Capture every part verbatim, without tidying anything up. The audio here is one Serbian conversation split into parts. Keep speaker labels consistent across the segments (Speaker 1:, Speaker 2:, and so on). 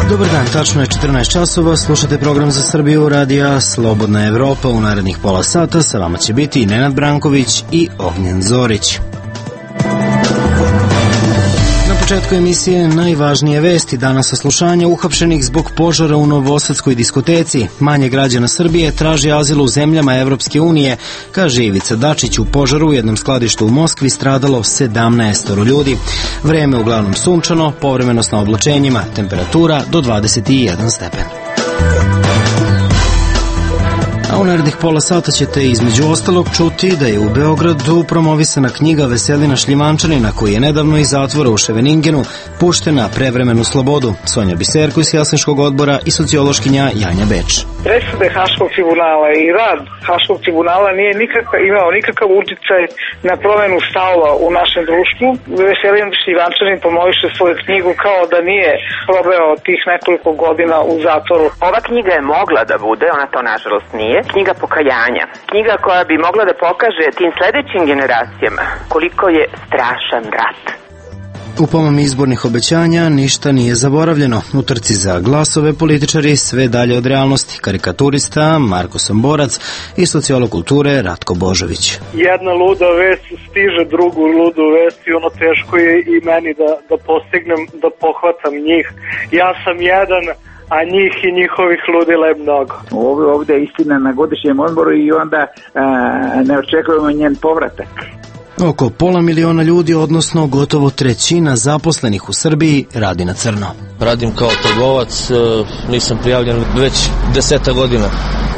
Speaker 1: Dobar dan, tačno je četrnaest časova, slušate program za Srbiju radija Slobodna Evropa. U narednih pola sata sa vama će biti Nenad Branković i Ognjen Zorić. Na početku emisije najvažnije vesti. Danas saslušanje uhapšenih zbog požara u novosadskoj diskoteci. Manje građana Srbije traži azil u zemljama Evropske unije. Kaže Ivica Dačić, u požaru u jednom skladištu u Moskvi stradalo sedamnaest ljudi. Vreme uglavnom sunčano, povremeno s oblačenjima, temperatura do dvadeset jedan stepen. A u narednih pola sata ćete između ostalog čuti da je u Beogradu promovisana knjiga Veselina Šljivančanina, koji je nedavno iz zatvora u Ševeningenu pušten na prevremenu slobodu. Sonja Biserko iz Helsinškog odbora i sociološkinja Janja Beč.
Speaker 2: Presude Haškog tribunala i rad Haškog tribunala nije nikakav, imao nikakav uticaj na promenu stavova u našem društvu. Veselin Šljivančanin promoviše svoju knjigu kao da nije probao tih nekoliko godina u zatvoru.
Speaker 3: Ova knjiga je mogla da bude, ona to nažalost nije, knjiga pokajanja. Knjiga koja bi mogla da pokaže tim sledećim generacijama koliko je strašan rat.
Speaker 1: U pomami izbornih obećanja ništa nije zaboravljeno. U trci za glasove političari sve dalje od realnosti. Karikaturista Marko Somborac i sociolog kulture Ratko Božović.
Speaker 4: Jedna luda vest stiže drugu ludu vest i ono teško je i meni da, da postignem, da pohvatam njih. Ja sam jedan, a njih i njihovih ludila je mnogo.
Speaker 5: Ovdje, ovdje je istina na godišnjem odboru i onda a, ne očekujemo njen povratak.
Speaker 1: Oko pola miliona ljudi, odnosno gotovo trećina zaposlenih u Srbiji, radi na crno.
Speaker 6: Radim kao trgovac, nisam prijavljen već deseta godina.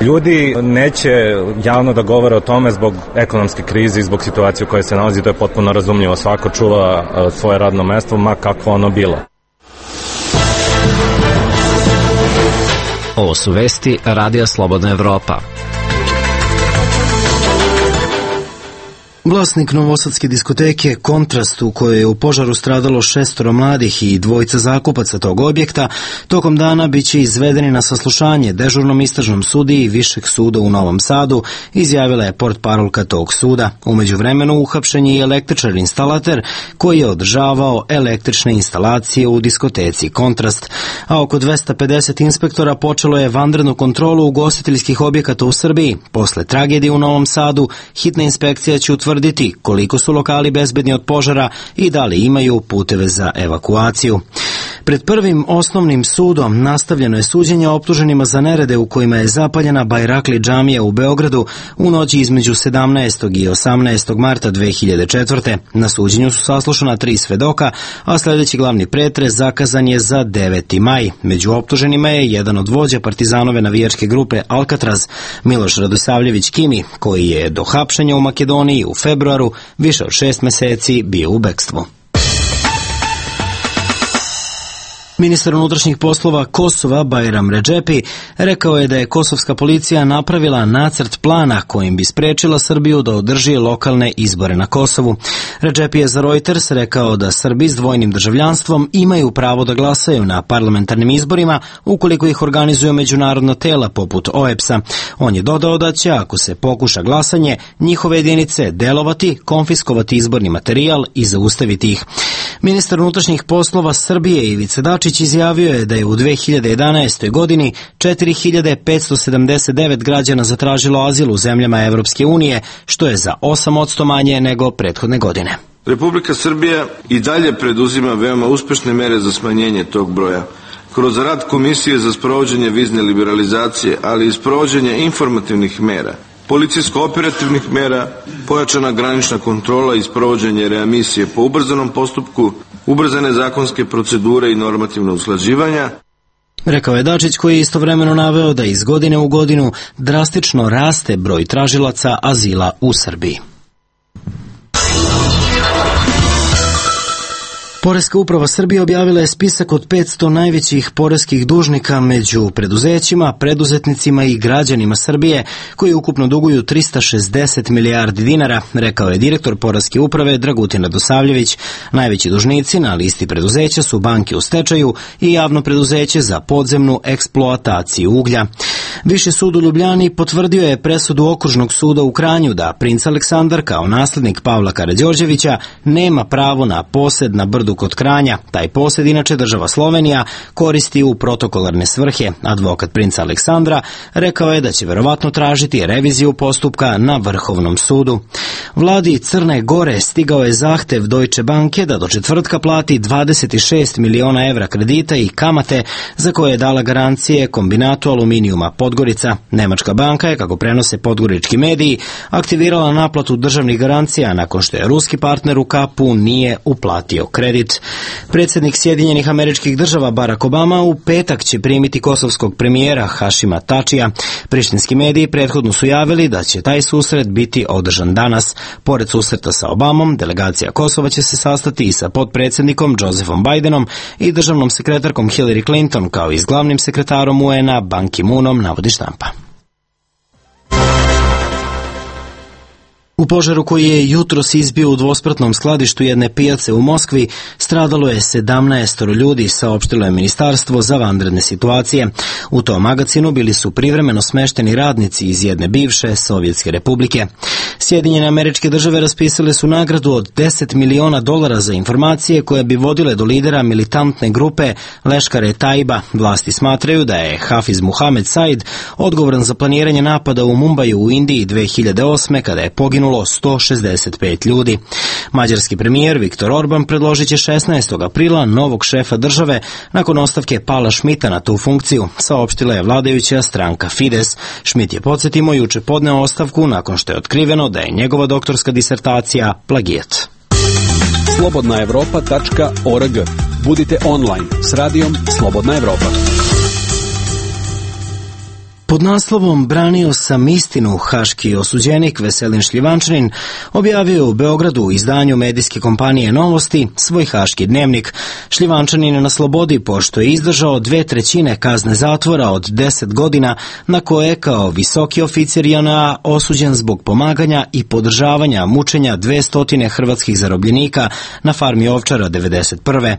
Speaker 7: Ljudi neće javno da govore o tome zbog ekonomske krize i zbog situacije u kojoj se nalazi, to je potpuno razumljivo. Svako čuva svoje radno mesto, ma kakvo ono bilo.
Speaker 8: Ovo su vesti Radija Slobodna Evropa.
Speaker 1: Vlasnik novosadske diskoteke Kontrast, u kojoj je u požaru stradalo šestoro mladih i dvojica zakupaca tog objekta, tokom dana biće izvedeni na saslušanje dežurnom istražnom sudiji Višeg suda u Novom Sadu, izjavila je portparolka tog suda. Umeđu vremenu uhapšen je i električar instalater koji je održavao električne instalacije u diskoteci Kontrast, a oko dvesta pedeset inspektora počelo je vanrednu kontrolu ugostiteljskih objekata u Srbiji. Posle tragedije u Novom Sadu, hitna inspekcija će utvrditi koliko su lokali bezbedni od požara i da li imaju puteve za evakuaciju. Pred prvim osnovnim sudom nastavljeno je suđenje optuženima za nerede u kojima je zapaljena Bajrakli džamija u Beogradu u noći između sedamnaestog i osamnaestog marta dve hiljade četvrte. Na suđenju su saslušana tri svedoka, a sledeći glavni pretres zakazan je za deveti maj. Među optuženima je jedan od vođa partizanove navijačke grupe Alcatraz, Miloš Radosavljević Kimi, koji je do hapšenja u Makedoniji u februaru više od šest meseci bio u bekstvu. Ministar unutrašnjih poslova Kosova Bajram Redžepi rekao je da je kosovska policija napravila nacrt plana kojim bi sprečila Srbiju da održi lokalne izbore na Kosovu. Redžepi je za Reuters rekao da Srbi s dvojnim državljanstvom imaju pravo da glasaju na parlamentarnim izborima ukoliko ih organizuju međunarodna tela poput O E B S-a. On je dodao da će, ako se pokuša glasanje, njihove jedinice delovati, konfiskovati izborni materijal i zaustaviti ih. Ministar unutrašnjih poslova Srbije Ivica Dačić izjavio je da je u dve hiljade jedanaestoj. godini četiri hiljade petsto sedamdeset devet građana zatražilo azil u zemljama Evropske unije, što je za osam posto manje nego prethodne godine.
Speaker 9: Republika Srbija i dalje preduzima veoma uspešne mere za smanjenje tog broja. Kroz rad Komisije za sprovođenje vizne liberalizacije, ali i sprovođenje informativnih mera, policijsko-operativnih mera, pojačana granična kontrola i sprovođenje readmisije po ubrzanom postupku, ubrzane zakonske procedure i normativno usklađivanja.
Speaker 1: Rekao je Dačić, koji je istovremeno naveo da iz godine u godinu drastično raste broj tražilaca azila u Srbiji. Poreska uprava Srbije objavila je spisak od petsto najvećih poreskih dužnika među preduzećima, preduzetnicima i građanima Srbije, koji ukupno duguju trista šezdeset milijardi dinara, rekao je direktor Poreske uprave Dragutin Radosavljević. Najveći dužnici na listi preduzeća su banke u stečaju i javno preduzeće za podzemnu eksploataciju uglja. Viši sud u Ljubljani potvrdio je presudu Okružnog suda u Kranju da princ Aleksandar kao naslednik Pavla Karađorđevića nema pravo na posed na brdu kod Kranja. Taj posed inače država Slovenija koristi u protokolarne svrhe. Advokat princa Aleksandra rekao je da će verovatno tražiti reviziju postupka na Vrhovnom sudu. Vladi Crne Gore stigao je zahtev Deutsche Banke da do četvrtka plati dvadeset šest miliona evra kredita i kamate za koje je dala garancije kombinatu aluminijuma Podgorica. Nemačka banka je, kako prenose podgorički mediji, aktivirala naplatu državnih garancija nakon što je ruski partner u kapu nije uplatio kredit. Predsjednik Sjedinjenih Američkih Država Barack Obama u petak će primiti kosovskog premijera Hašima Tačija. Prištinski mediji prethodno su javili da će taj susret biti održan danas. Pored susreta sa Obamom, delegacija Kosova će se sastati i sa potpredsjednikom Josephom Bidenom i državnom sekretarkom Hillary Clinton, kao i s glavnim sekretarom U N-a Ban Ki-moonom, navodi štampa. U požaru koji je jutros izbio u dvospratnom skladištu jedne pijace u Moskvi stradalo je sedamnaest ljudi, saopštilo je Ministarstvo za vanredne situacije. U tom magacinu bili su privremeno smešteni radnici iz jedne bivše Sovjetske republike. Sjedinjene Američke Države raspisale su nagradu od deset miliona dolara za informacije koje bi vodile do lidera militantne grupe Leškare Taiba. Vlasti smatraju da je Hafiz Muhamed Said odgovoran za planiranje napada u Mumbaju u Indiji dve hiljade osme kada je poginuo sto šezdeset pet ljudi. Mađarski premijer Viktor Orban predložit će šesnaestog aprila novog šefa države nakon ostavke Pala Šmita na tu funkciju, saopštila je vladajuća stranka Fides. Šmit je, podsjetimo, juče podneo ostavku nakon što je otkriveno da je njegova doktorska disertacija plagijat.
Speaker 10: slobodna evropa tačka org. Budite online s radijom Slobodna Evropa.
Speaker 1: Pod naslovom Branio sam istinu, haški osuđenik Veselin Šljivančanin objavio u Beogradu u izdanju medijske kompanije Novosti svoj haški dnevnik. Šljivančanin je na slobodi pošto je izdržao dve trećine kazne zatvora od deset godina, na koje kao visoki oficir J N A osuđen zbog pomaganja i podržavanja mučenja dvesta hrvatskih zarobljenika na farmi Ovčara devedeset prve.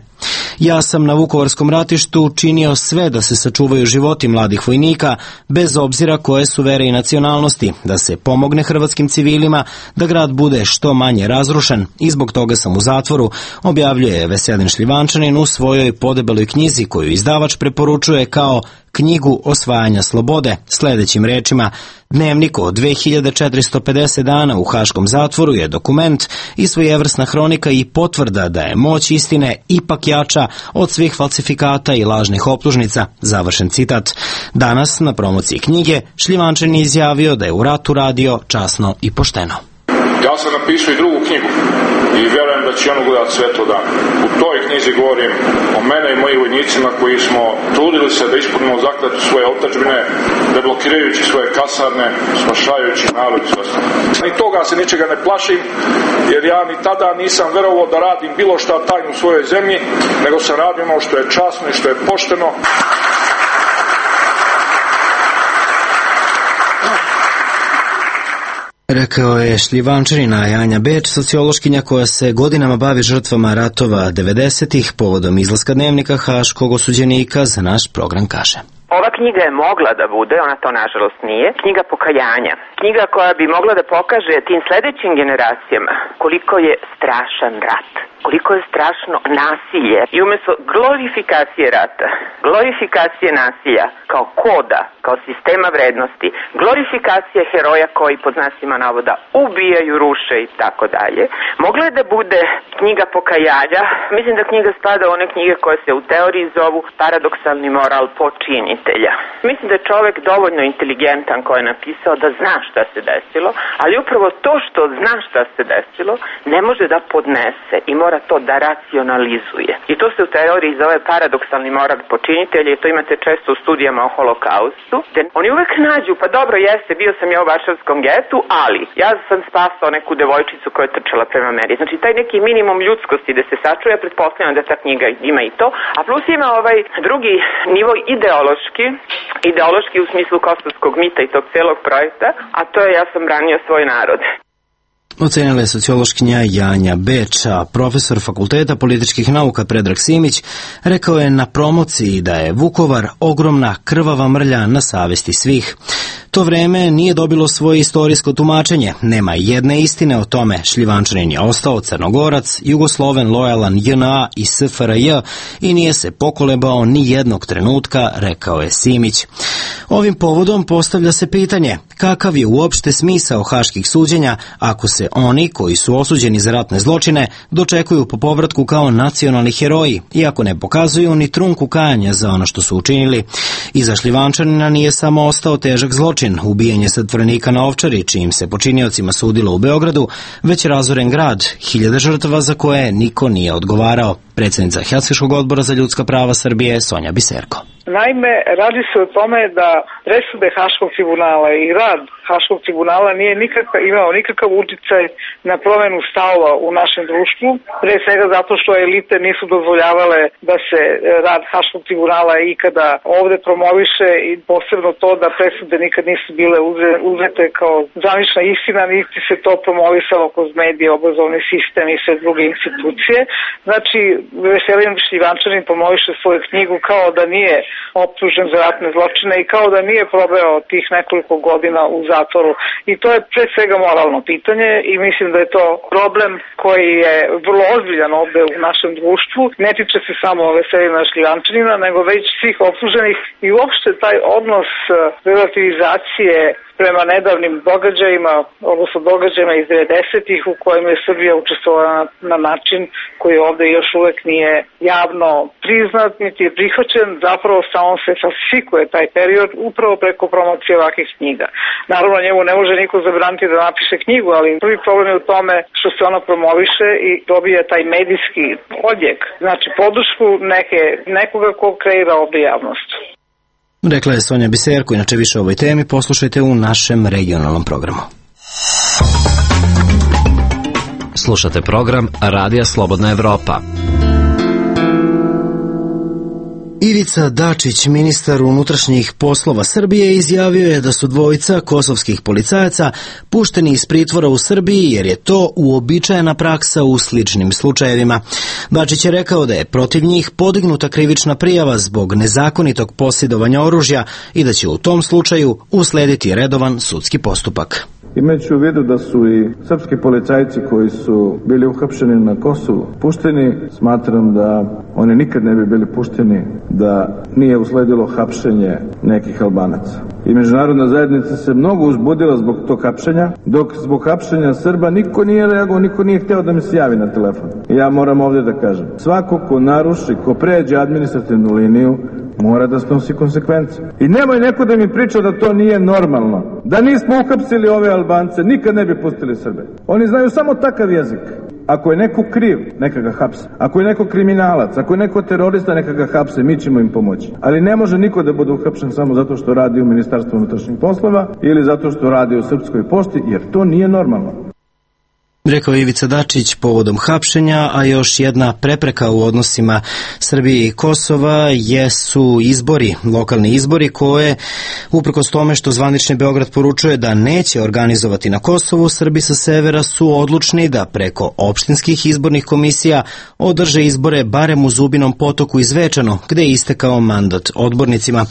Speaker 1: Ja sam na Vukovarskom ratištu činio sve da se sačuvaju životi mladih vojnika, bez obzira koje su vere i nacionalnosti, da se pomogne hrvatskim civilima, da grad bude što manje razrušen i zbog toga sam u zatvoru, objavljuje Veselin Šljivančanin u svojoj podebeloj knjizi koju izdavač preporučuje kao knjigu osvajanja slobode, sljedećim rečima: dnevnik od dve hiljade četiristo pedeset dana u haškom zatvoru je dokument i svojevrsna hronika i potvrda da je moć istine ipak jača od svih falsifikata i lažnih optužnica, završen citat. Danas na promociji knjige Šljivančanin je izjavio da je u ratu radio časno i pošteno.
Speaker 11: Ja sam napisao i drugu knjigu i vjerujem da će ono gledati sve to dan. U toj knjizi govorim o mene i mojim vojnicima koji smo trudili se da ispunimo zakletvu svoje otadžbine, deblokirajući svoje kasarne, spašajući narod i sve ostalo. Ni toga se ničega ne plašim, jer ja ni tada nisam verovao da radim bilo šta tajno u svojoj zemlji, nego sam radio ono što je časno i što je pošteno.
Speaker 1: Rekao je Šljivančanina Janja Beč, sociološkinja koja se godinama bavi žrtvama ratova devedesetih povodom izlaska dnevnika haškog osuđenika, za naš program kaže.
Speaker 3: Ova knjiga je mogla da bude, ona to nažalost nije, knjiga pokajanja. Knjiga koja bi mogla da pokaže tim sledećim generacijama koliko je strašan rat, koliko je strašno nasilje i umjesto glorifikacije rata, glorifikacije nasilja kao koda, kao sistema vrednosti, glorifikacije heroja koji pod znacima navoda ubijaju, ruše i tako dalje, mogla je da bude knjiga pokajanja. Mislim da knjiga spada u one knjige koje se u teoriji zovu paradoksalni moral počinitelja. Mislim da je čovek dovoljno inteligentan koji je napisao da zna šta se desilo, ali upravo to što zna šta se desilo ne može da podnese i mora to da racionalizuje. I to se u teoriji zove paradoksalni moral počinitelja i to imate često u studijama o holokaustu. Oni uvek nađu, pa dobro jeste, bio sam ja u Varšavskom getu, ali ja sam spasao neku devojčicu koja je trčala prema meni. Znači taj neki minimum ljudskosti da se sačuje, pretpostavljam da ta knjiga ima i to, a plus ima ovaj drugi nivo ideološki, ideološki u smislu kosovskog mita i tog celog projekta, a to je ja sam branio svoj narod.
Speaker 1: ocenila je sociološkinja Janja Beč, a profesor Fakulteta političkih nauka Predrag Simić rekao je na promociji da je Vukovar ogromna krvava mrlja na savesti svih. To vreme nije dobilo svoje istorijsko tumačenje, nema jedne istine o tome. Šljivančanin je ostao Crnogorac, Jugosloven lojalan J N A i S F R J i nije se pokolebao ni jednog trenutka, rekao je Simić. Ovim povodom postavlja se pitanje kakav je uopšte smisao haških suđenja ako se oni koji su osuđeni za ratne zločine dočekuju po povratku kao nacionalni heroji, iako ne pokazuju ni trunku kajanja za ono što su učinili. Iza Šljivančanina nije samo ostao težak zločin, ubijanje zatvorenika na Ovčari, čijim se počiniocima sudilo u Beogradu, već razoren grad, hiljade žrtava za koje niko nije odgovarao. Predsjednica Helsinškog odbora za ljudska prava Srbije Sonja Biserko.
Speaker 2: Naime, radi se o tome da presude Haškog tribunala i rad Haškog tribunala nije nikakav, imao nikakav uticaj na promenu stavova u našem društvu, pre svega zato što elite nisu dozvoljavale da se rad Haškog tribunala ikada ovde promoviše i posebno to da presude nikad nisu bile uzete kao zvanična istina, niti se to promovisalo kroz medije, obrazovni sistem i sve druge institucije. Znači, Veselin Šljivančanin promoviše svoju knjigu kao da nije optužen za ratne zločine i kao da nije probao tih nekoliko godina u zatvoru. I to je pre svega moralno pitanje i mislim da je to problem koji je vrlo ozbiljan ovde u našem društvu. Ne tiče se samo Veselina Šljivančanina, nego već svih optuženih i uopšte taj odnos relativizacije prema nedavnim događajima, odnosno događajima iz devedesetih u kojima je Srbija učestvovala na, na način koji ovde još uvek nije javno priznat, niti je prihvaćen, zapravo samo se falsifikuje taj period upravo preko promocije ovakvih knjiga. Naravno, njemu ne može niko zabraniti da napiše knjigu, ali prvi problem je u tome što se ona promoviše i dobija taj medijski odjek, znači podršku neke, nekoga ko kreira ovde javnost.
Speaker 1: Rekla je Sonja Biserko, inače više o ovoj temi poslušajte u našem regionalnom programu.
Speaker 8: Slušate program Radija Slobodna Evropa.
Speaker 1: Ivica Dačić, ministar unutrašnjih poslova Srbije, izjavio je da su dvojica kosovskih policajaca pušteni iz pritvora u Srbiji jer je to uobičajena praksa u sličnim slučajevima. Dačić je rekao da je protiv njih podignuta krivična prijava zbog nezakonitog posjedovanja oružja i da će u tom slučaju uslediti redovan sudski postupak.
Speaker 12: Imajući u vidu da su i srpski policajci koji su bili uhapšeni na Kosovu pušteni, smatram da oni nikad ne bi bili pušteni da nije usledilo hapšenje nekih Albanaca. I međunarodna zajednica se mnogo uzbudila zbog tog hapšenja, dok zbog hapšenja Srba niko nije reagovao, niko nije hteo da mi se javi na telefon. I ja moram ovdje da kažem, svako ko naruši, ko pređe administrativnu liniju, mora da snosi konsekvence. I nemoj neko da mi priča da to nije normalno. Da nismo uhapsili ove Albance, nikad ne bi pustili Srbe. Oni znaju samo takav jezik. Ako je neko kriv, neka ga hapse. Ako je neko kriminalac, ako je neko terorista, neka ga hapse, mi ćemo im pomoći. Ali ne može niko da bude uhapšen samo zato što radi u Ministarstvu unutrašnjih poslova ili zato što radi u Srpskoj pošti, jer to nije normalno.
Speaker 1: Rekao Ivica Dačić povodom hapšenja, a još jedna prepreka u odnosima Srbije i Kosova jesu izbori, lokalni izbori koje, uprkos tome što zvanični Beograd poručuje da neće organizovati na Kosovu, Srbi sa severa su odlučni da preko opštinskih izbornih komisija održe izbore barem u Zubinom Potoku i Zvečanu, gde je istekao mandat odbornicima.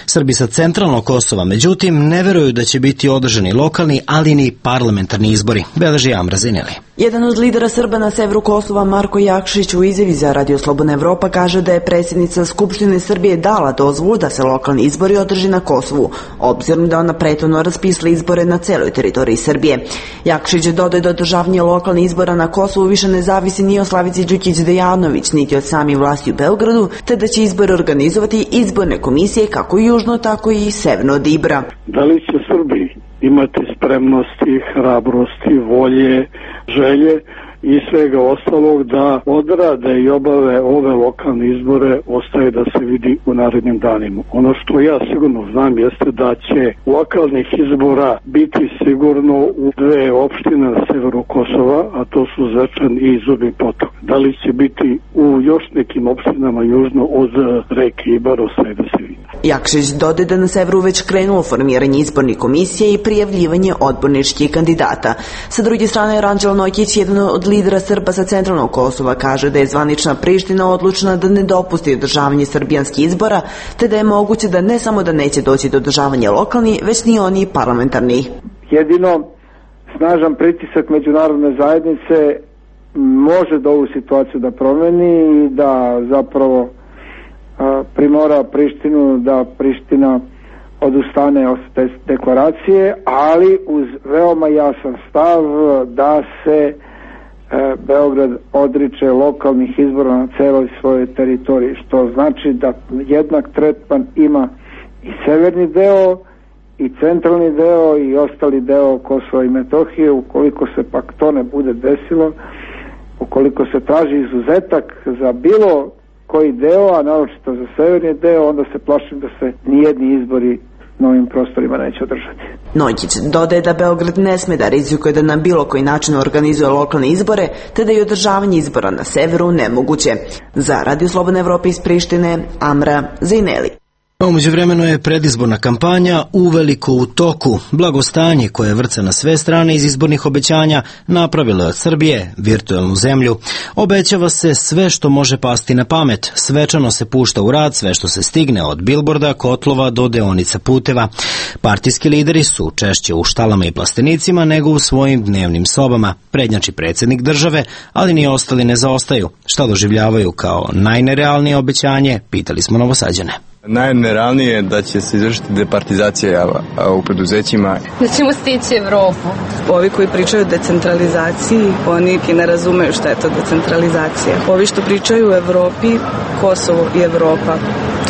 Speaker 1: Srbi sa centralnog Kosova, međutim, ne veruju da će biti održani lokalni, ali ni parlamentarni izbori. Beleži Amra Zineli.
Speaker 13: Jedan od lidera Srba na severu Kosova, Marko Jakšić, u izjavi za Radio Slobodna Evropa kaže da je predsjednica Skupštine Srbije dala dozvolu da se lokalni izbori održi na Kosovu, obzirom da ona prethodno raspisala izbore na celoj teritoriji Srbije. Jakšić dodaje da održavanje lokalnih izbora na Kosovu više ne zavisi ni od Slavice Đukić Dejanović, niti od samih vlasti u Beogradu, te da će izbore organizovati izborne komisije kako južno, tako i severno od Ibra.
Speaker 14: Da li će Srbi imati spremnosti, hrabrosti, volje, želje i svega ostalog da odrade i obave ove lokalne izbore, ostaje da se vidi u narednim danima. Ono što ja sigurno znam jeste da će lokalnih izbora biti sigurno u dve opštine na severu Kosova, a to su Zvečan i Zubin Potok. Da li će biti u još nekim opštinama južno od reke Ibar, ostaje da se vidi.
Speaker 13: Jakšić dodaje da na severu već krenulo formiranje izbornih komisije i prijavljivanje odborničkih kandidata. Sa druge strane, Ranđelo Nojkić, jedan od lidera Srba sa centralnog Kosova, kaže da je zvanična Priština odlučna da ne dopusti održavanje srbijanskih izbora, te da je moguće da ne samo da neće doći do održavanja lokalni, već ni oni parlamentarni.
Speaker 15: Jedino snažan pritisak međunarodne zajednice može da ovu situaciju da promeni i da zapravo primora Prištinu da Priština odustane od te deklaracije, ali uz veoma jasan stav da se e, Beograd odriče lokalnih izbora na celoj svojoj teritoriji, što znači da jednak tretman ima i severni deo i centralni deo i ostali deo Kosova i Metohije. Ukoliko se pak to ne bude desilo, ukoliko se traži izuzetak za bilo koji deo, a naročito za severni deo, onda se plašim da se nijedni izbori na ovim prostorima neće održati.
Speaker 13: Nojkić dodaje da Beograd ne sme da rizikuje da na bilo koji način organizuje lokalne izbore, te da je održavanje izbora na severu nemoguće. Za Radio Slobodne Evrope iz Prištine, Amra Zejneli.
Speaker 1: A umeđu vremenu je predizborna kampanja uveliko u toku. Blagostanje koje vrca na sve strane iz izbornih obećanja napravilo je od Srbije virtuelnu zemlju. Obećava se sve što može pasti na pamet. Svečano se pušta u rad sve što se stigne od bilborda, kotlova do deonica puteva. Partijski lideri su češće u štalama i plastenicima nego u svojim dnevnim sobama. Prednjači predsjednik države, ali ni ostali ne zaostaju. Šta doživljavaju kao najnerealnije obećanje, pitali smo Novosađane.
Speaker 16: Najnerealnije je da će se izvršiti departizacija u preduzećima.
Speaker 17: Da ćemo stići Evropu.
Speaker 18: Ovi koji pričaju o decentralizaciji, oni ki ne razumeju šta je to decentralizacija. Ovi što pričaju o Evropi, Kosovo i Evropa,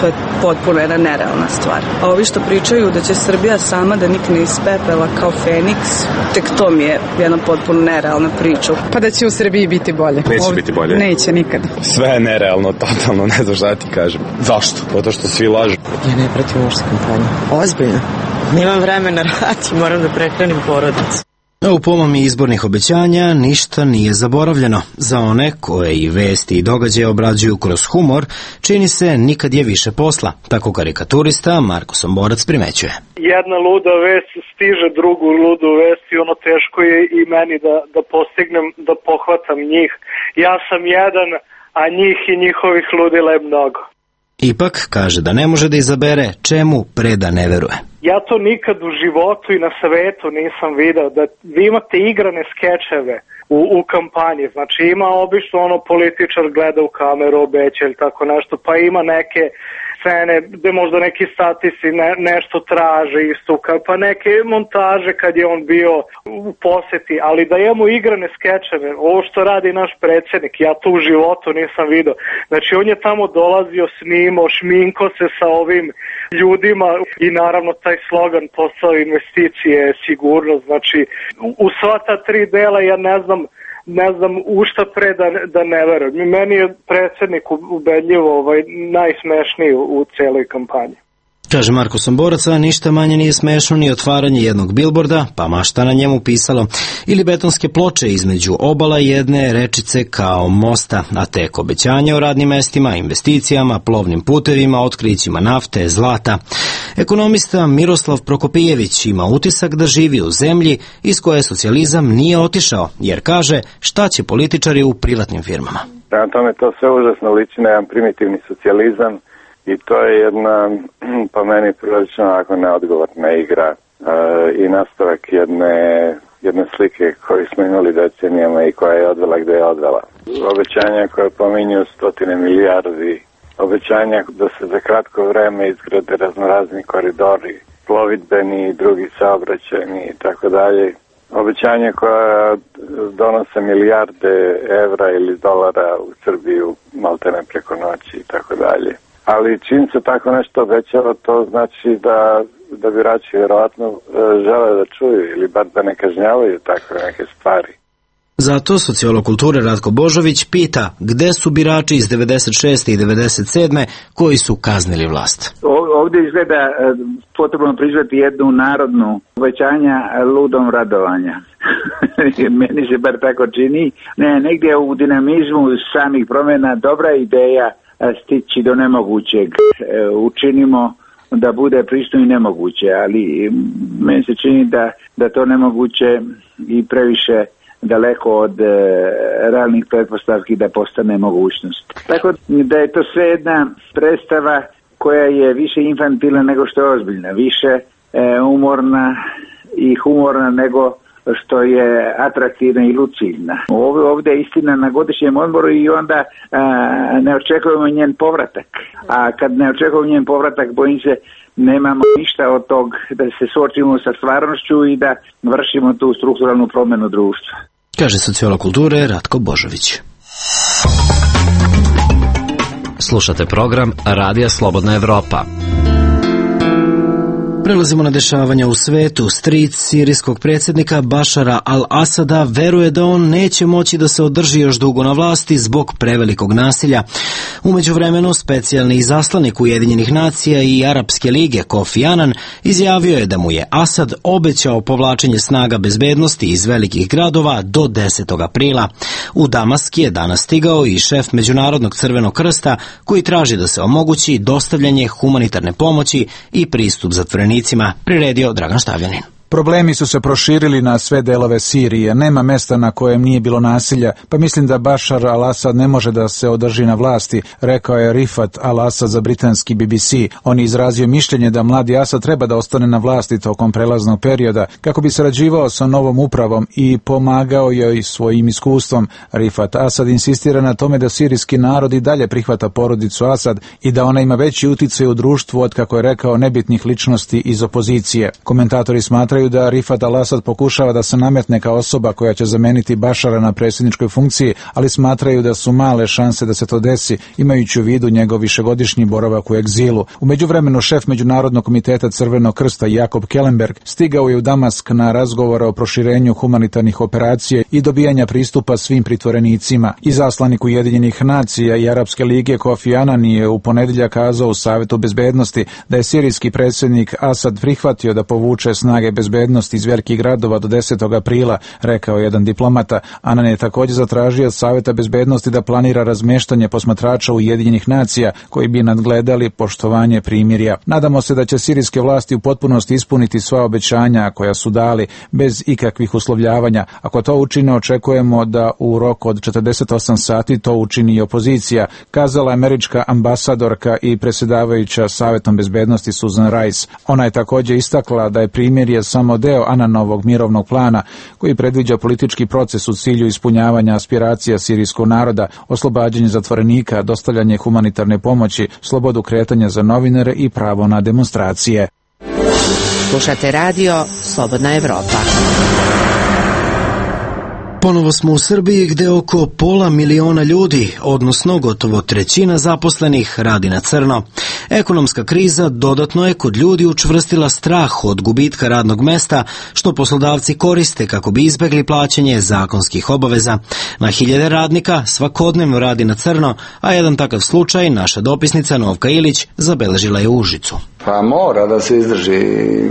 Speaker 18: to je potpuno jedna nerealna stvar. A ovi što pričaju da će Srbija sama da nikne iz pepela kao Feniks, tek to mi je jedna potpuno nerealna priča.
Speaker 19: Pa da će u Srbiji biti bolje.
Speaker 16: Neće Ovdje biti bolje.
Speaker 19: Neće nikad.
Speaker 16: Sve je nerealno, totalno, ne znam šta ti kažem. Zašto? Zato što svi lažu.
Speaker 20: Ja ne pratim uopšte kampanju. Ozbiljno. Nemam vremena raditi, moram da prehranim porodicu.
Speaker 1: U pomomi izbornih obećanja ništa nije zaboravljeno. Za one koje i vesti i događaje obrađuju kroz humor, čini se nikad je više posla. Tako karikaturista Marko Somborac primećuje.
Speaker 4: Jedna luda vest stiže drugu ludu vest i ono teško je i meni da, da postignem, da pohvatam njih. Ja sam jedan, a njih i njihovih ludila je mnogo.
Speaker 1: Ipak kaže da ne može da izabere čemu preda ne veruje.
Speaker 4: Ja to nikad u životu i na svetu nisam video, da vi imate igrane skečeve u, u kampanji, znači ima obično ono političar gleda u kameru, obeća ili tako nešto, pa ima neke scene gde možda neki statisti ne, nešto traže istuka, pa neke montaže kad je on bio u poseti, ali da imamo igrane skečeve, ovo što radi naš predsjednik, ja to u životu nisam video. Znači on je tamo dolazio, snimao, šminko se sa ovim ljudima i naravno taj slogan posao investicije, sigurnost, znači u sva ta tri dela ja ne znam ne znam u šta pre da, da ne verujem. Meni je predsjednik ubedljivo ovaj, najsmešniji u, u celoj kampanji.
Speaker 1: Kaže Marko Somborac, a ništa manje nije smešno ni otvaranje jednog bilborda, pa mašta na njemu pisalo, ili betonske ploče između obala jedne rečice kao mosta, a tek obećanja o radnim mestima, investicijama, plovnim putevima, otkrićima nafte, zlata. Ekonomista Miroslav Prokopijević ima utisak da živi u zemlji iz koje socijalizam nije otišao, jer kaže šta će političari u privatnim firmama.
Speaker 15: Prema tome to sve užasno liči na jedan primitivni socijalizam, i to je jedna, po meni, prilično onako neodgovorna igra e, i nastavak jedne, jedne slike koju smo imali decenijama i koja je odvela gde je odvela. Obećanja koje pominju stotine milijardi, obećanja da se za kratko vreme izgrade raznorazni koridori, plovidbeni i drugi saobraćajni i tako dalje. Obećanja koja donose milijarde evra ili dolara u Srbiju maltene preko noći i tako dalje. Ali čim se tako nešto obećava, to znači da, da birači vjerovatno žele da čuju ili bar da ne kažnjavaju takve neke stvari.
Speaker 1: Zato sociolog kulture Ratko Božović pita gde su birači iz devedeset šeste i devedeset sedme koji su kaznili vlast.
Speaker 5: Ovdje izgleda potrebno priznati jednu narodnu obećanja ludom radovanja. Meni se bar tako čini. Ne, negdje u dinamizmu samih promjena dobra ideja stići do nemogućeg. Učinimo da bude pristojno i nemoguće, ali meni se čini da, da to nemoguće i previše daleko od e, realnih pretpostavki da postane mogućnost. Tako da je to sve jedna predstava koja je više infantilna nego što je ozbiljna, više e, umorna i humorna nego što je atraktivna i lucidna. Ovdje, ovdje je istina na godišnjem odboru i onda a, ne očekujemo njen povratak. A kad ne očekujemo njen povratak, bojim se, nemamo ništa od tog da se suočimo sa stvarnošću i da vršimo tu strukturalnu promjenu društva.
Speaker 1: Kaže sociolog kulture Ratko Božović.
Speaker 8: Slušate program Radija Slobodna Evropa.
Speaker 1: Prelazimo na dešavanja u svetu. Stric sirijskog predsjednika Bašara al-Asada veruje da on neće moći da se održi još dugo na vlasti zbog prevelikog nasilja. U međuvremenu, specijalni izaslanik Ujedinjenih nacija i Arapske lige Kofi Anan izjavio je da mu je Asad obećao povlačenje snaga bezbednosti iz velikih gradova do desetog aprila. U Damask je danas stigao i šef Međunarodnog crvenog krsta koji traži da se omogući dostavljanje humanitarne pomoći i pristup zatvorenicima. Priredio Dragan Štavljanin.
Speaker 21: Problemi su se proširili na sve delove Sirije, nema mesta na kojem nije bilo nasilja, pa mislim da Bašar al-Asad ne može da se održi na vlasti, rekao je Rifat al-Asad za britanski B B C. On je izrazio mišljenje da mladi Asad treba da ostane na vlasti tokom prelaznog perioda, kako bi sarađivao sa novom upravom i pomagao joj svojim iskustvom. Rifat Asad insistira na tome da sirijski narod i dalje prihvata porodicu Asad i da ona ima veći uticaj u društvu od, kako je rekao, nebitnih ličnosti iz opozicije. Komentatori smatraju da Rifat al-Asad pokušava da se nametne kao osoba koja će zameniti Bašara na predsjedničkoj funkciji, ali smatraju da su male šanse da se to desi, imajući u vidu njegov višegodišnji boravak u egzilu. U međuvremenu šef Međunarodnog komiteta Crvenog krsta Jakob Kellenberg stigao je u Damask na razgovore o proširenju humanitarnih operacija i dobijanja pristupa svim pritvorenicima. Izaslanik Ujedinjenih nacija i Arapske lige Kofi Anan je u ponedjeljak kazao u Savetu bezbednosti da je sirijski predsjednik Asad prihvatio da povuče snage bezbednosti iz velikih gradova do desetog aprila, rekao jedan diplomata. Anan je također zatražio od Saveta bezbednosti da planira razmeštanje posmatrača Ujedinjenih nacija koji bi nadgledali poštovanje primirja. Nadamo se da će sirijske vlasti u potpunosti ispuniti sva obećanja koja su dali bez ikakvih uslovljavanja. Ako to učine, očekujemo da u roku od četrdeset osam sati to učini i opozicija, kazala američka ambasadorka i predsjedavajuća Savetom bezbednosti Susan Rice. Ona je također istakla da je primirje samo deo Ananovog mirovnog plana koji predviđa politički proces u cilju ispunjavanja aspiracija sirijskog naroda, oslobađanje zatvorenika, dostavljanje humanitarne pomoći, slobodu kretanja za novinare i pravo na demonstracije.
Speaker 22: Slušate radio Slobodna Evropa.
Speaker 1: Ponovo smo u Srbiji gde oko pola miliona ljudi, odnosno gotovo trećina zaposlenih, radi na crno. Ekonomska kriza dodatno je kod ljudi učvrstila strah od gubitka radnog mesta, što poslodavci koriste kako bi izbegli plaćanje zakonskih obaveza. Na hiljade radnika svakodnevno radi na crno, a jedan takav slučaj naša dopisnica Novka Ilić zabeležila je u Užicu.
Speaker 23: Pa mora da se izdrži.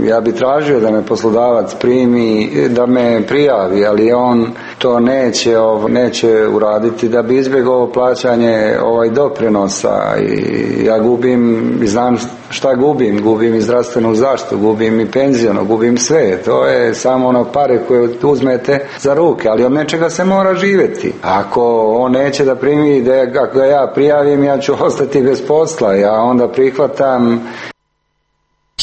Speaker 23: Ja bi tražio da me poslodavac primi, da me prijavi, ali on to neće, neće uraditi da bi izbjegao plaćanje ovaj doprinosa i ja gubim, znam šta gubim, gubim i zdravstvenu zaštitu, gubim i penzijonu, gubim sve. To je samo ono pare koje uzmete za ruke, ali od nečega se mora živjeti. Ako on neće da primi, da ako ga ja prijavim, ja ću ostati bez posla, ja onda prihvatam.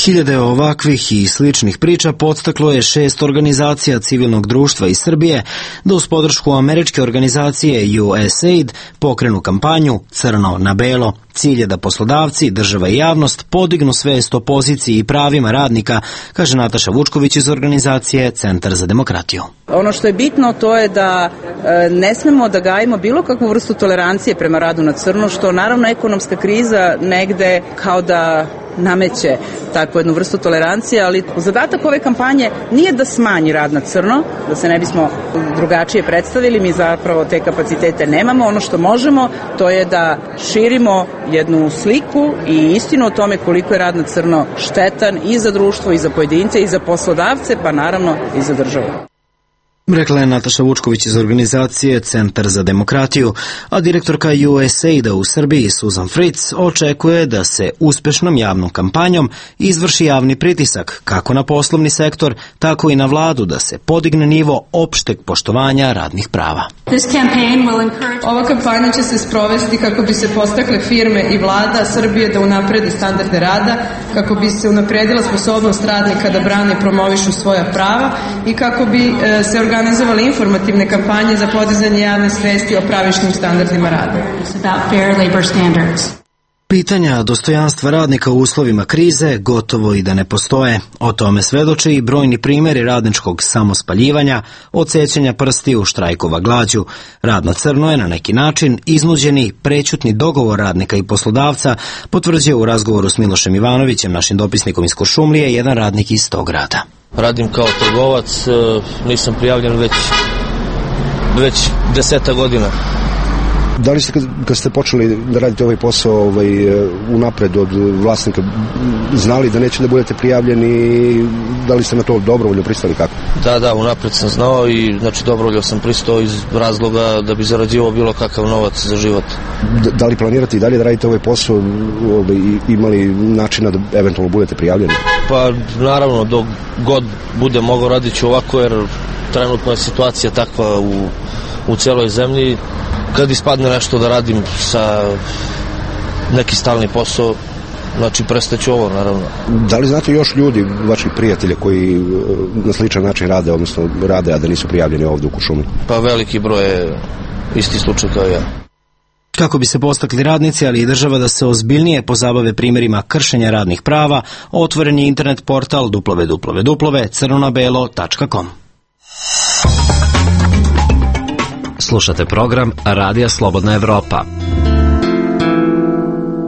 Speaker 1: Hiljade ovakvih i sličnih priča podstaklo je šest organizacija civilnog društva iz Srbije da uz podršku američke organizacije U S A I D pokrenu kampanju Crno na belo. Cilj je da poslodavci, država i javnost podignu svest o poziciji i pravima radnika, kaže Nataša Vučković iz organizacije Centar za demokratiju.
Speaker 6: Ono što je bitno to je da e, ne smemo da gajimo bilo kakvu vrstu tolerancije prema radu na crno, što naravno ekonomska kriza negde kao da nameće takvu jednu vrstu tolerancije, ali zadatak ove kampanje nije da smanji rad na crno, da se ne bismo drugačije predstavili, mi zapravo te kapacitete nemamo. Ono što možemo to je da širimo jednu sliku i istinu o tome koliko je rad na crno štetan i za društvo, i za pojedince, i za poslodavce, pa naravno i za državu.
Speaker 1: Rekla je Nataša Vučković iz organizacije Centar za demokratiju, a direktorka U S A I D-a u Srbiji Susan Fritz očekuje da se uspešnom javnom kampanjom izvrši javni pritisak kako na poslovni sektor, tako i na vladu da se podigne nivo opšteg poštovanja radnih prava.
Speaker 17: Ova kampanja će se sprovesti kako bi se postakle firme i vlada Srbije da unaprede standarde rada, kako bi se unapredila sposobnost radnika da brane i promovišu svoja prava i kako bi se organizovali informativne kampanje za podizanje javne svesti o pravičnim standardima rada.
Speaker 1: Pitanja dostojanstva radnika u uslovima krize gotovo i da ne postoje. O tome svedoče i brojni primjeri radničkog samospaljivanja, odsećanja prstiju, štrajkova glađu. Rad na crno je na neki način iznuđeni prećutni dogovor radnika i poslodavca, potvrđuje u razgovoru s Milošem Ivanovićem, našim dopisnikom iz Kuršumlije, jedan radnik iz tog grada.
Speaker 7: Radim kao trgovac, nisam prijavljen već, već deseta godina.
Speaker 9: Da li ste kad, kad ste počeli da radite ovaj posao ovaj, unapred od vlasnika znali da neće da budete prijavljeni, da li ste na to dobrovoljno pristali kako?
Speaker 7: Da, da, unapred sam znao i znači dobrovoljno sam pristao iz razloga da bi zarađivao bilo kakav novac za život.
Speaker 9: Da, da li planirate i dalje da radite ovaj posao, ovaj, imali načina da eventualno budete prijavljeni?
Speaker 7: Pa naravno, dok god bude mogao radit ću ovako jer trenutno je situacija takva u, u celoj zemlji. Kad ispadne nešto da radim sa neki stalni posao, znači prestaću ovo, naravno.
Speaker 9: Da li znate još ljudi, vaših prijatelja koji na sličan način rade, odnosno rade, a da nisu prijavljeni ovdje u Kuršumliji?
Speaker 7: Pa veliki broj je isti slučaj kao ja.
Speaker 1: Kako bi se postakli radnici, ali i država da se ozbiljnije pozabave primjerima kršenja radnih prava, otvoren je internet portal w w w tačka crno na belo tačka com.
Speaker 8: Slušate program Radija Slobodna Evropa.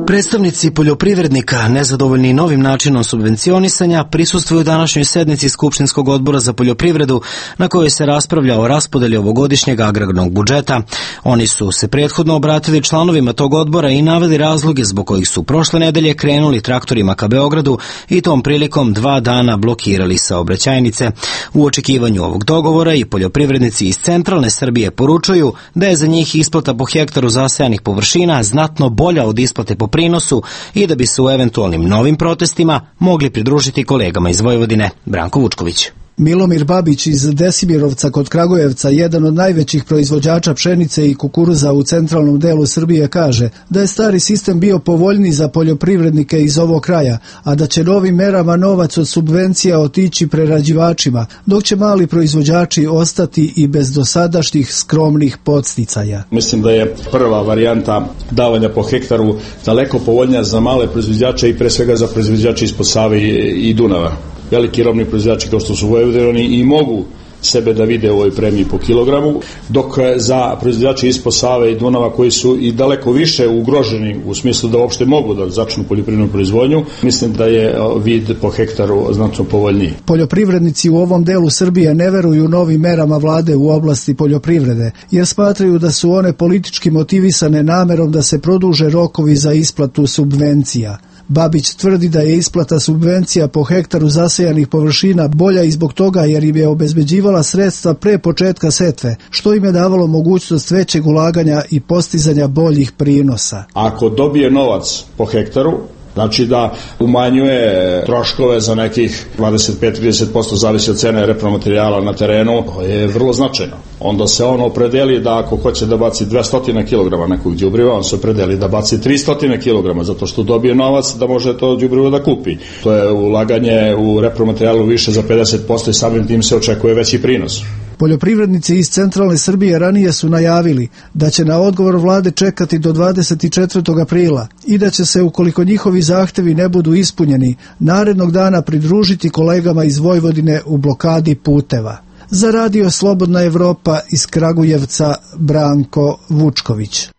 Speaker 1: Predstavnici poljoprivrednika, nezadovoljni novim načinom subvencionisanja, prisustvuju današnjoj sednici Skupštinskog odbora za poljoprivredu, na kojoj se raspravlja o raspodeli ovogodišnjeg agrarnog budžeta. Oni su se prethodno obratili članovima tog odbora i naveli razloge zbog kojih su prošle nedelje krenuli traktorima ka Beogradu i tom prilikom dva dana blokirali saobraćajnice. U očekivanju ovog dogovora i poljoprivrednici iz centralne Srbije poručuju da je za njih isplata po hektaru zasejanih površina znatno bolja od isplate po prinosu i da bi se u eventualnim novim protestima mogli pridružiti kolegama iz Vojvodine. Branko Vučković.
Speaker 24: Milomir Babić iz Desimirovca kod Kragujevca, jedan od najvećih proizvođača pšenice i kukuruza u centralnom delu Srbije, kaže da je stari sistem bio povoljniji za poljoprivrednike iz ovog kraja, a da će novim merama novac od subvencija otići prerađivačima, dok će mali proizvođači ostati i bez dosadašnjih skromnih podsticaja.
Speaker 25: Mislim da je prva varijanta davanja po hektaru daleko povoljnija za male proizvođače i pre svega za proizvođače ispod Save i Dunava. Veliki robni proizvođači kao što su Vojvodini i mogu sebe da vide u ovoj premiji po kilogramu, dok za proizvođači ispod Save i Dunava koji su i daleko više ugroženi u smislu da uopšte mogu da začnu poljoprivrednu proizvodnju, mislim da je vid po hektaru znatno povoljniji.
Speaker 24: Poljoprivrednici u ovom delu Srbije ne veruju novim merama vlade u oblasti poljoprivrede, jer smatraju da su one politički motivisane namerom da se produže rokovi za isplatu subvencija. Babić tvrdi da je isplata subvencija po hektaru zasejanih površina bolja i zbog toga jer im je obezbeđivala sredstva pre početka setve, što im je davalo mogućnost većeg ulaganja i postizanja boljih prinosa.
Speaker 25: Ako dobije novac po hektaru, znači da umanjuje troškove za nekih dvadeset pet do trideset posto zavisi od cene repromaterijala na terenu, to je vrlo značajno. Onda se on opredeli da ako hoće da baci dvesta kilograma nekog đubriva, on se opredeli da baci tristo kilograma, zato što dobije novac da može to đubrivo da kupi. To je ulaganje u repromaterijalu više za pedeset posto i samim tim se očekuje veći prinos.
Speaker 24: Poljoprivrednici iz centralne Srbije ranije su najavili da će na odgovor vlade čekati do dvadeset četvrtog aprila i da će se, ukoliko njihovi zahtevi ne budu ispunjeni, narednog dana pridružiti kolegama iz Vojvodine u blokadi puteva. Za Radio Slobodna Evropa iz Kragujevca, Branko Vučković.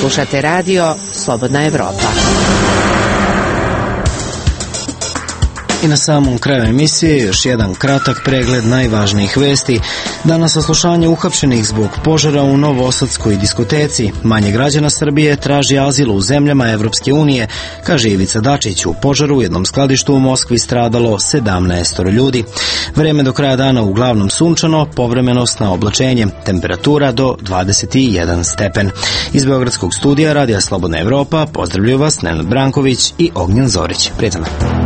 Speaker 22: Slušate Radio Slobodna Evropa.
Speaker 1: I na samom kraju emisije još jedan kratak pregled najvažnijih vesti. Danas saslušanje uhapšenih zbog požara u Novosadskoj diskoteci. Manje građana Srbije traži azil u zemljama Evropske unije, kaže Ivica Dačić. U požaru u jednom skladištu u Moskvi stradalo sedamnaest ljudi. Vreme do kraja dana uglavnom sunčano, povremenost na oblačenje. Temperatura do dvadeset jedan stepen. Iz Beogradskog studija Radija Slobodna Evropa pozdravljaju vas Nenad Branković i Ognjen Zorić. Prijatno.